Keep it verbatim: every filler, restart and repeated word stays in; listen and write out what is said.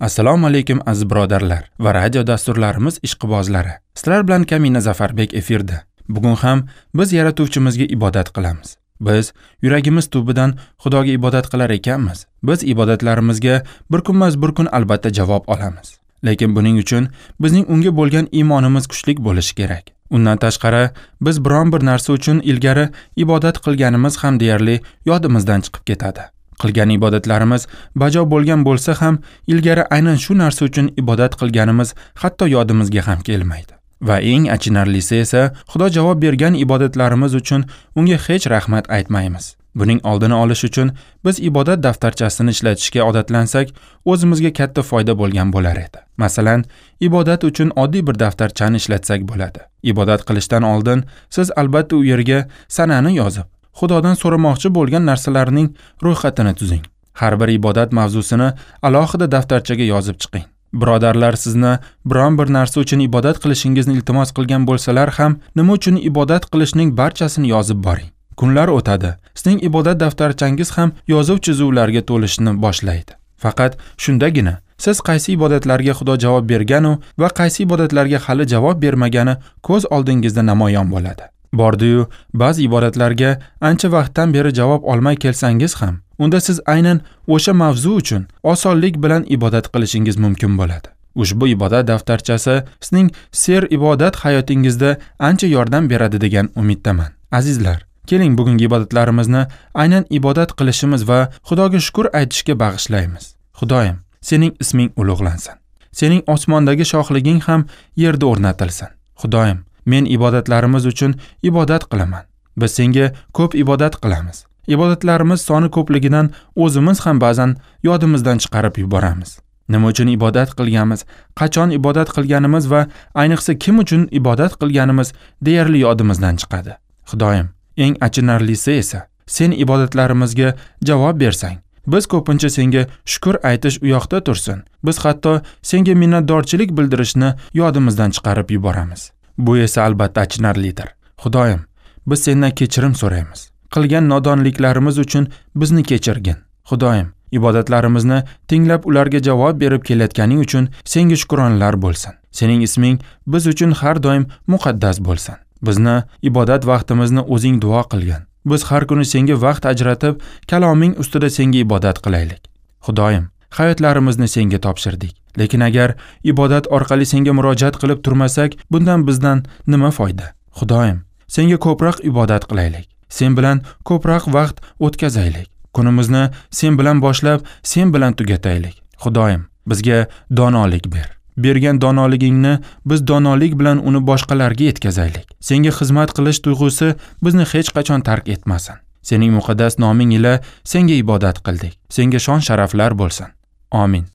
Assalomu alaykum aziz birodarlar va radio dasturlarimiz ishqibozlari. Sizlar bilan Kamina Zafarbek efirda. Bugun ham biz yaratuvchimizga ibodat qilamiz. Biz yuragimiz tubidan Xudoga ibodat qilar ekanmiz. Biz ibodatlarimizga bir kunmas bir kun albatta javob olamiz. Lekin buning uchun bizning unga bo'lgan iymonimiz kuchli bo'lishi kerak. Undan tashqari biz biron bir narsa uchun ilgari ibodat qilganimiz ham deyarli yodimizdan chiqib ketadi. Qilgan ibodatlarimiz bajo bo'lgan bo'lsa ham ilgari aynan shu narsa uchun ibodat qilganimiz hatto yodimizga ham kelmaydi. Va eng achinarlisi esa Xudo javob bergan ibodatlarimiz uchun unga hech rahmat aytmaymiz. Buning oldini olish uchun biz ibodat daftarchasini ishlatishga odatlansak, o'zimizga katta foyda bo'lgan bo'lar edi. Masalan, ibodat uchun oddiy bir daftarchani ishlatsak bo'ladi. Ibodat qilishdan oldin siz albatta u yerga sanani yozib, Xudodan so'ramoqchi bo'lgan narsalarning ro'yxatini tuzing. Har bir ibodat mavzusini alohida daftarchaga yozib chiqing. Birodarlar sizni biron bir narsa uchun ibodat qilishingizni iltimos qilgan bo'lsalar ham, nima uchun ibodat qilishning barchasini yozib boring. Kunlar o'tadi. Sizning ibodat daftarchangiz ham yozuv chizuvlarga to'lishni boshlaydi. Faqat shundagina siz qaysi ibodatlarga Xudo javob berganu va qaysi ibodatlarga hali javob bermagani ko'z oldingizda namoyon bo'ladi. Bordi-yu, ba'zi ibodatlarga ancha vaqtdan beri javob olmay kelsangiz ham, unda siz aynan o'sha mavzu uchun osonlik bilan ibodat qilishingiz mumkin bo'ladi. Ushbu ibodat daftarchasi sizning ser ibodat hayotingizda ancha yordam beradi degan umiddaman. Azizlar, keling bugungi ibodatlarimizni aynan ibodat qilishimiz va Xudoga shukr aytishga bag'ishlaymiz. Xudoyim, sening isming ulug'lansin. Sening osmondagi shohliging ham yerda o'rnatilsin. Xudoyim, men ibodatlarimiz uchun ibodat qilaman. Biz senga ko'p ibodat qilamiz. Ibodatlarimiz soni ko'pligidan o'zimiz ham ba'zan yodimizdan chiqarib yuboramiz. Nima uchun ibodat qilganmiz, qachon ibodat qilganimiz va ayniqsa kim uchun ibodat qilganimiz deyarli yodimizdan chiqadi. Xudoyim, eng achinarlisi esa sen ibodatlarimizga javob bersang, biz ko'pincha senga shukr aytish u yoqda tursin. Biz hatto senga minnatdorchilik bildirishni yodimizdan chiqarib yuboramiz. Bu esa albatta achinarlidir. Xudoyim, biz sendan kechirim so'raymiz. Qilgan nodonliklarimiz uchun bizni kechirgin. Xudoyim, ibodatlarimizni tinglab ularga javob berib kelayotganing uchun senga shukronlar bo'lsin. Sening isming biz uchun har doim muqaddas bo'lsin. Bizni ibodat vaqtimizni o'zing duo qilgin. Biz har kuni senga vaqt ajratib, kaloming ustida senga ibodat qilaylik. Xudoyim, hayotlarimizni senga topshirdik. Lekin agar ibodat orqali senga murojaat qilib turmasak, bundan bizdan nima foyda? Xudoyim, senga ko'proq ibodat qilaylik. Sen bilan ko'proq vaqt o'tkazaylik. Kunimizni sen bilan boshlab, sen bilan tugataylik. Xudoyim, bizga donolik ber. Bergan donoligingni biz donolik bilan uni boshqalarga yetkazaylik. Senga xizmat qilish tuyg'usi bizni hech qachon tark etmasin. Sening muqaddas noming ila senga ibodat qildik. Senga shon sharaflar bo'lsin. Amin.